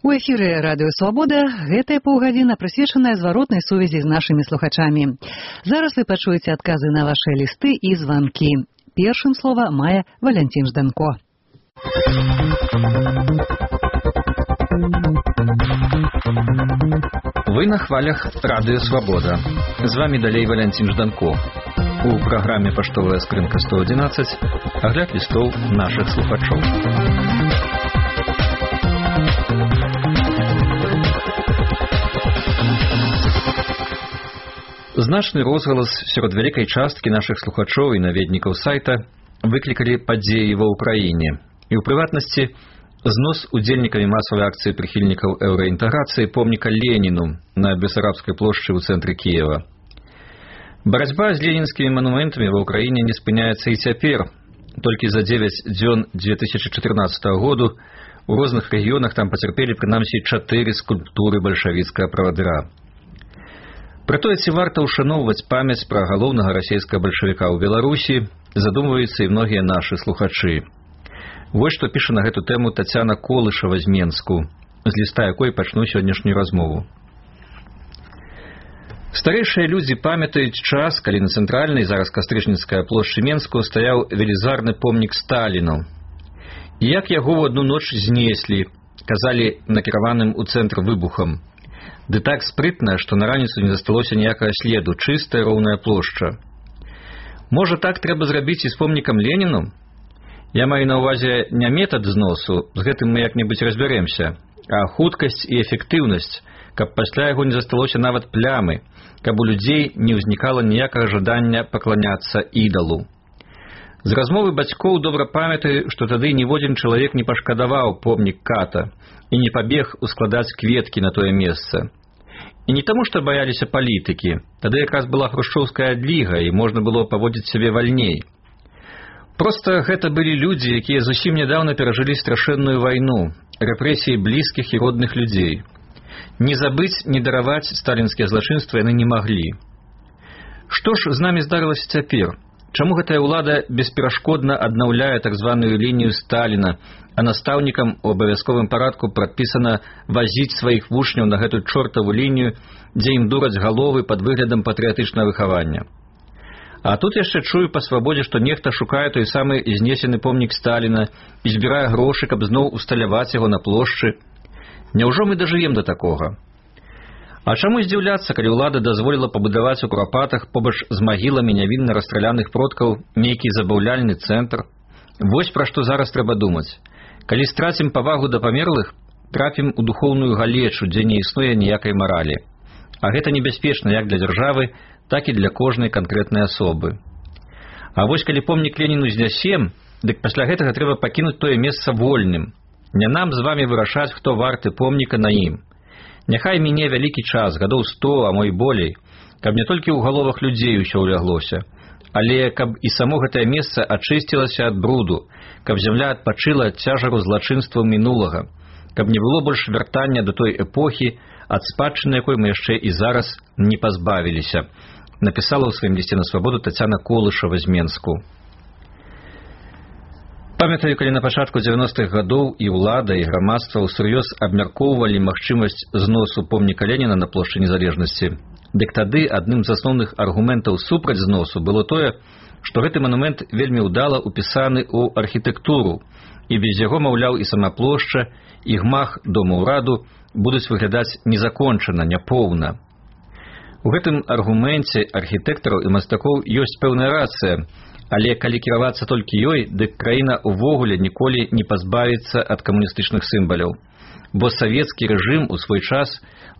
У эфіры радыё Свабода гэтая паўгадзіна прысвечаная зваротнай сувязі з нашымі слухачамі. Зараз вы пачуеце адказы на вашыя лісты і званкі. Першым слова мае Валянцін Жданко. Вы на хвалях радыё Свабода. З вами далей Валянцін Жданко. У праграме «Паштовая скрынка 111» агляд лістоў нашых слухачоў. Значны розгалас сярод вялікай часткі нашых слухачоў і наведнікаў сайта выклікалі падзеі ва ўкраіне. І ў прыватнасці знос удзельнікамі масавай акцыі прыхільнікаў еўраінтэграцыі помніка Леніну на Бесарабскай плошчы ў цэнтры Кіева. Барацьба з ленінскімі манументамі ва ўкраіне не спыняецца і цяпер. Толькі за 9 дзён 2014 году у розных рэгіёнах там пацярпелі прынамсі 4 скульптуры бальшавіцкага правадыра. Прытое, ці варта ўшаноўваць памяць пра галоўнага расейскага бальшавіка ў Беларусі, задумваюцца і многія нашы слухачы. Вось што піша на гэту тэму Тацяна Колышава з Менску, з ліста якой пачну сённяшнюю размову. Старэйшыя людзі памятаюць час, калі на цэнтральнай, зараз Кастрычніцкая плошчы Менску, стаяў велізарны помнік Сталіну. І як яго ў адну ноч знеслі, казалі накіраваным у цэнтр выбухам. Ды так спрытна, што на раніцу не засталося ніякага следу, чыстая роўная плошча. Можа, так трэба зрабіць і з помнікам Леніну? Я маю на ўвазе не метад зносу, з гэтым мы як-небудзь разбярэмся, а хуткасць і эфектыўнасць, каб пасля яго не засталося нават плямы, каб у людзей не ўзнікала ніякага жадання пакланяцца ідалу. З размовы бацькоў добра памятаю, што тады ніводзін чалавек не пашкадаваў помнік ката і не пабег ускладаць кветкі на тое месца. І не таму, што баяліся палітыкі, тады якраз была хрушчоўская адліга і можна было паводзіць сябе вальней. Проста гэта былі людзі, якія зусім нядаўна перажылі страшэнную вайну, рэпрэсіі блізкіх і родных людзей. Не забыць, не дараваць сталінскія злачынствы яны не маглі. Што ж з намі здарылася цяпер? Чаму гэтая ўлада бесперашкодна аднаўляе так званую лінію Сталіна, а настаўнікам у абавязковым парадку прадпісана вазіць сваіх вучняў на гэту чортаву лінію, дзе ім дураць галовы пад выглядам патрыятычнага выхавання? А тут яшчэ чую па свабодзе, што нехта шукае той самы знесены помнік Сталіна і збірае грошы, каб зноў усталяваць яго на плошчы. Няўжо мы дажывем да такога? А чаму здзіўляцца, калі ўлада дазволіла пабудаваць у Курапатах побач з магіламі нявінна расстраляных продкаў нейкі забаўляльны цэнтр? Вось пра што зараз трэба думаць. Калі страцім павагу да памерлых, трапім у духоўную галечу, дзе не існуе ніякай маралі. А гэта небяспечна як для дзяржавы, так і для кожнай канкрэтнай асобы. А вось калі помнік Леніну знясем, дык пасля гэтага трэба пакінуць тое месца вольным. Не нам з вамі вырашаць, хто варты помніка на ім. Няхай міне вялікі час, гадоў 100, а мо і болей, каб не толькі ў галовах людзей усё ўляглося, але каб і само гэтае месца ачысцілася ад бруду, каб зямля адпачыла ад цяжару злачынстваў мінулага, каб не было больш вяртання да той эпохі, ад спадчыны якой мы яшчэ і зараз не пазбавіліся, напісала ў сваім лісце на Свабоду Тацяна Колышава з Менску. Памятаю, калі на пачатку 90-х гадоў і ўлада, і грамадства ўсур'ёз абмяркоўвалі магчымасць зносу помніка Леніна на плошчы Незалежнасці, дык тады адным з асноўных аргументаў супраць зносу было тое, што гэты манумент вельмі ўдала ўпісаны ў архітэктуру, і без яго, маўляў, і сама плошча, і гмах дома ўраду будуць выглядаць незакончана, няпоўна. У гэтым аргуменце архітэктараў і мастакоў ёсць пэўная рацыя, але калі кіравацца толькі ёй, дык краіна ўвогуле ніколі не пазбавіцца ад камуністычных сімваляў. Бо савецкі рэжым у свой час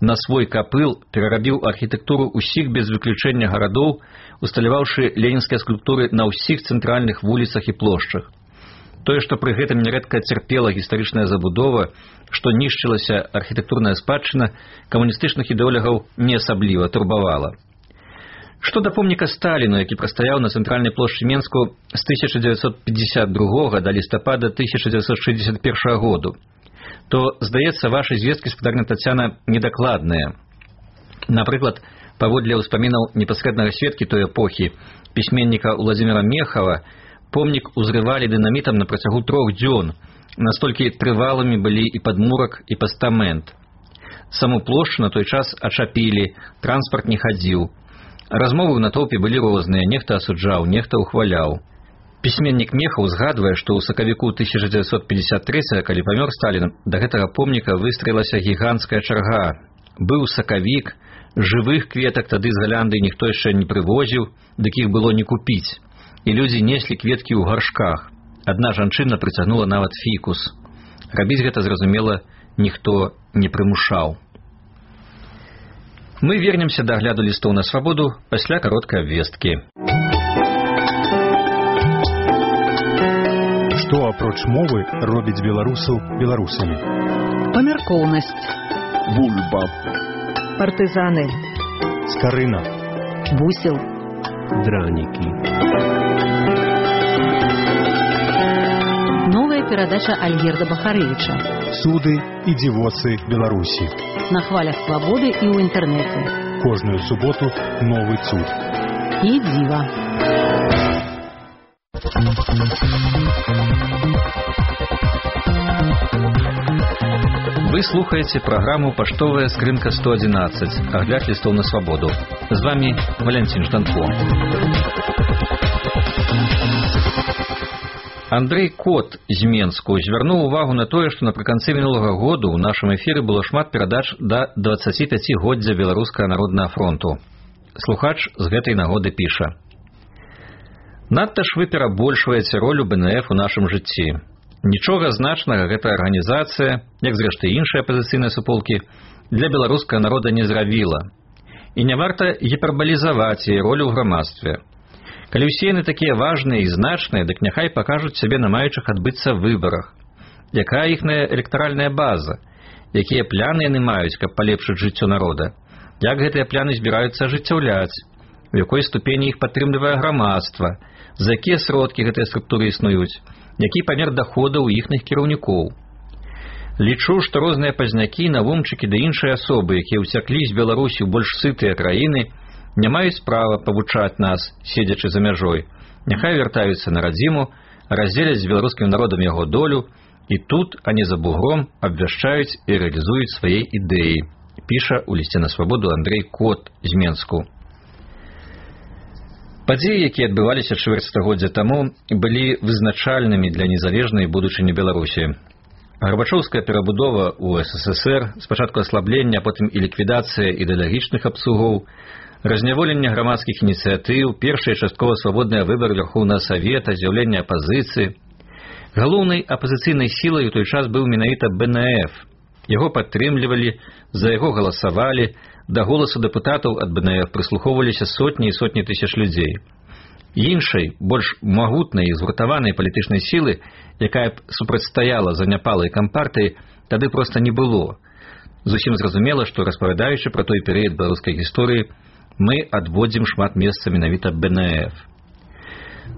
на свой капыл перарабіў архітэктуру ўсіх без выключэння гарадоў, усталяваўшы ленінскія скульптуры на ўсіх цэнтральных вуліцах і плошчах. Тое, што пры гэтым нярэдка цярпела гістарычная забудова, што нішчылася архітэктурная спадчына, камуністычных ідэолагаў не асабліва турбавала. Што да помніка Сталіну, які прастаяў на цэнтральнай плошчы Менску з 1952 да лістапада 1961 году, то, здаецца, вашы звесткі, спадарня Тацяна, недакладныя. Напрыклад, паводле ўспамінаў непасрэднага сведкі той эпохі, пісьменніка Владзіміра Мехава, помнік узрывалі дынамітам на працягу 3 дзён, Настолькі трывалымі былі і падмурак, і пастамент. Саму плошчу на той час ачапілі, транспарт не хадзіў. Размовы ў натоўпе былі розныя, нехта асуджаў, нехта ўхваляў. Пісьменнік Мехаў згадвае, што ў сакавіку 1953, калі памёр Сталін, да гэтага помніка выстраілася гіганцкая чарга. Быў сакавік, жывых кветак тады з Галянды ніхто яшчэ не прывозіў, дык іх было не купіць. І людзі неслі кветкі ў гаршках. Адна жанчына прыцягнула нават фікус. Рабіць гэта, зразумела, ніхто не прымушаў. Мы вернемся да агляду лістоў на свабоду пасля кароткай абвесткі. Што апроч мовы робіць беларусаў беларусамі? Памяркоўнасць. Бульба. Партызаны. Скарына. Бусел. Дранікі. Новая перадача Альгерда Бахарэвіча. Суды і дзівоцы Беларусі. На хвалях свабоды і ў інтэрнэце. Кожную суботу новы цуд. І дзіва. Вы слухаеце праграму «Паштовая скрынка 111», агляд лістоў на свабоду. З вами Валянцін Жданко. Андрэй Кот з Менску звярнуў увагу на тое, што напрыканцы мінулага году ў нашым эфіры было шмат перадач да 25-годдзя Беларускага народнага фронту. Слухач з гэтай нагоды піша: «Надта ж вы перабольшваеце ролю БНФ у нашым жыцці. Нічога значнага гэта арганізацыя, як зрэшты іншыя апазіцыйныя суполкі, для беларускага народа не зрабіла. І не варта гіпербалізаваць яе ролю ў грамадстве. Калі ўсе яны такія важныя і значныя, дык няхай пакажуць сябе на маючых адбыцца выбарах. Якая іхная электаральная база? Якія пляны яны маюць, каб палепшыць жыццё народа? Як гэтыя пляны збіраюцца ажыццяўляць? У якой ступені іх падтрымлівае грамадства? За якія сродкі гэтыя структуры існуюць? Які памер даходаў у іхных кіраўнікоў? Лічу, што розныя пазнякі, навумчыкі ды іншыя асобы, якія ўцяклі з Беларусі ў больш сытыя краіны, не маюць права павучаць нас, седзячы за мяжой. Няхай вяртаюцца на радзіму, раздзеляць з беларускім народам яго долю, і тут, а не за бугром, абвяшчаюць і рэалізуюць свае ідэі», піша ў лісце на свабоду Андрэй Кот з Менску. Падзеі, якія адбываліся чвэрць стагоддзя таму, былі вызначальнымі для незалежнай будучыні Беларусі. Гарбачоўская перабудова ў СССР, спачатку аслаблення, а потым і ліквідацыя ідэалагічных абслугоў, разняволенне грамадскіх ініцыятыў, першыя часткова свабодныя выбары Верхоўнага Савета, з'яўленне апазіцыі. Галоўнай апазіцыйнай сілай у той час быў менавіта БНФ. Яго падтрымлівалі, за яго галасавалі, да голасу дэпутатаў ад БНФ прыслухоўваліся сотні і сотні тысяч людзей. Іншай, больш магутнай і згуртаванай палітычнай сілы, якая б супрацьстаяла заняпалай кампартыі, тады проста не было. Зусім зразумела, што распавядаючы пра той перыяд беларускай гісторыі, мы адводзім шмат месца менавіта БНФ.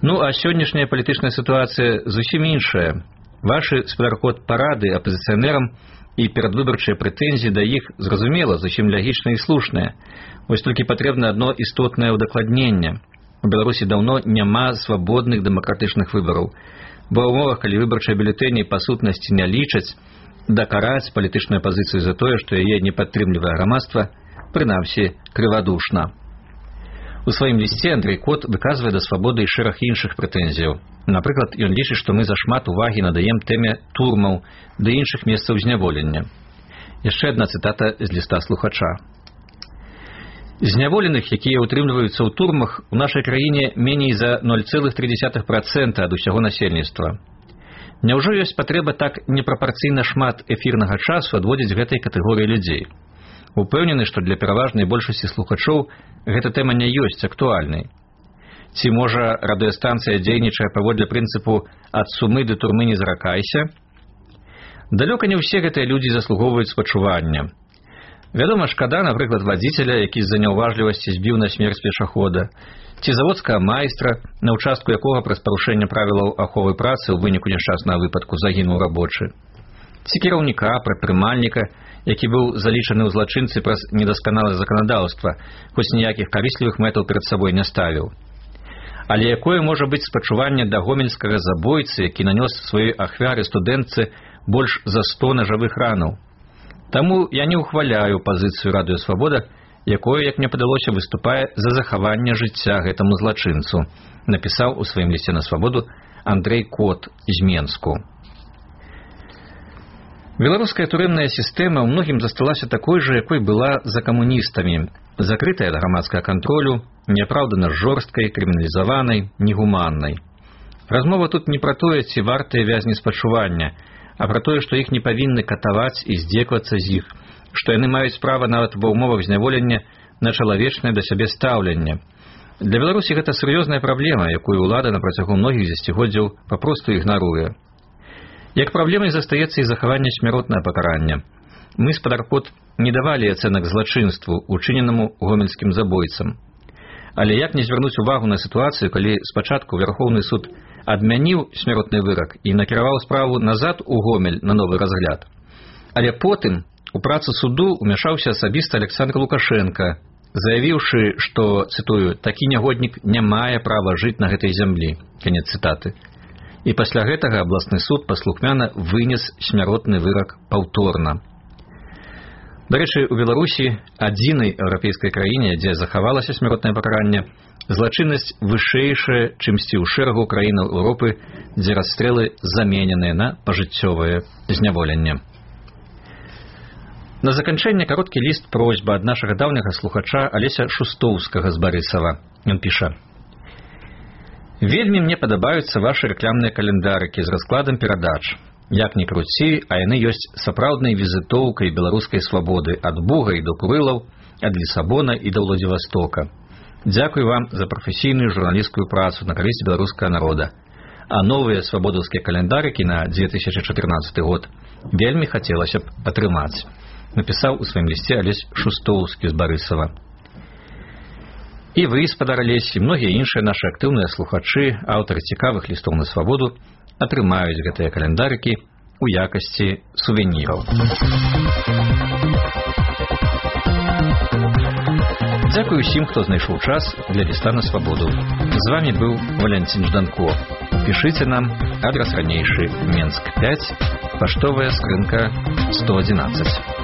Ну, а сённяшняя палітычная сітуацыя зусім іншая. Вашы спадаркот-парады апазіцыянерам і перадвыбарчыя прэтэнзіі да іх, зразумела, зусім лягічныя і слушныя. Вось толькі патрэбна адно істотнае ўдакладненне. У Беларусі даўно няма свабодных дэмакратычных выбараў, бо ў умовах, калі выбарчыя бюлетэні па сутнасці не лічаць, дакараць палітычную апазіцыю за тое, што яе не падтрымлівае грамадства, прынамсі, крывадушна. У сваім лісце Андрэй Кот выказвае да свабоды і шэраг іншых прэтэнзіяў. Напрыклад, ён лічыць, што мы зашмат увагі надаем тэме турмаў ды іншых месцаў зняволення. Яшчэ адна цытата з ліста слухача. Зняволеных, якія ўтрымліваюцца ў турмах, у нашай краіне меней за 0,3% ад усяго насельніцтва. Няўжо ёсць патрэба так непрапарцыйна шмат эфірнага часу адводзіць гэтай катэгорыі людзей? Упэўнены, што для пераважнай большасці слухачоў гэта тэма не ёсць актуальнай. Ці, можа, радыёстанцыя дзейнічае паводле прынцыпу «ад сумы да турмы не заракайся»? Далёка не ўсе гэтыя людзі заслугоўваюць спачування. Вядома, шкада, напрыклад, вадзіцеля, які з-за няўважлівасці збіў на смерць пешахода, ці заводскага майстра, на ўчастку якога праз парушэнне правілаў аховы працы ў выніку няшчаснага выпадку загінуў рабочы, ці кіраўніка, прадпрымальніка, які быў залічаны ў злачынцы праз недасканалае заканадаўства, хоць ніякіх карыслівых мэтаў перад сабой не ставіў. Але якое можа быць спачуванне да гомельскага забойцы, які нанёс сваёй ахвяры студэнтцы больш за 100 нажавых ранаў? Таму я не ўхваляю пазіцыю Радыё Свабода, якое, як мне падалося, выступае за захаванне жыцця гэтаму злачынцу, напісаў у сваім лісце на Свабоду Андрэй Кот з Менску. Беларуская турэмная сістэма ў многім засталася такой жа, якой была за камуністамі, закрытая ад грамадскага кантролю, неапраўдана жорсткай, крыміналізаванай, негуманнай. Размова тут не пра тое, ці вартыя вязні спачування, а пра тое, што іх не павінны катаваць і здзеквацца з іх, што яны маюць права нават ва ўмовах зняволення на чалавечнае да сябе стаўленне. Для Беларусі гэта сур'ёзная праблема, якую ўлада на працягу многіх дзесяцігоддзяў папросту ігнаруе. Як праблемай застаецца і захаванне смяротнага пакарання. Мы з Падаркот не давалі ацэнак злачынству, учыненаму гомельскім забойцам. Але як не звярнуць увагу на сітуацыю, калі спачатку Верхоўны суд адмяніў смяротны вырак і накіраваў справу назад у Гомель на новы разгляд. Але потым у працу суду ўмяшаўся асабіста Александр Лукашенко, заявіўшы, што, цытую, «такі нягоднік не мае права жыць на гэтай зямлі». Канец цытаты. І пасля гэтага абласны суд паслухмяна вынес смяротны вырак паўторна. Дарэчы, у Беларусі, адзінай еўрапейскай краіне, дзе захавалася смяротнае пакаранне, злачыннасць вышэйшая, чымсьці ў шэрагу краінаў Еўропы, дзе расстрэлы замененыя на пажыццёвае зняволенне. На заканчэнне кароткі ліст просьба ад нашага даўняга слухача Алеся Шустоўскага з Барысава. Ён піша: «Вельмі мне падабаюцца вашы рэкламныя календарыкі з раскладам перадач. Як ні круці, а яны ёсць сапраўднай візітоўкай беларускай свабоды ад Буга і до Курылаў, ад Лісабона і да Владзівастока. Дзякуй вам за прафесійную журналісцкую працу на карысць беларускага народа. А новыя свабодаўскія календарыкі на 2014 год вельмі хацелася б атрымаць», напісаў у сваім лісце Алесь Шустоўскі з Барысава. І вы, спадар Алесь, і многія іншыя нашы актыўныя слухачы, аўтары цікавых лістоў на свабоду, атрымаюць гэтыя календарыкі у якасці сувеніраў. Дзякуй усім, хто знайшоў час для ліста на свабоду. З вами быў Валянцін Жданко. Пішыце нам, адрас ранейшы, Менск 5, паштовая скрынка 111.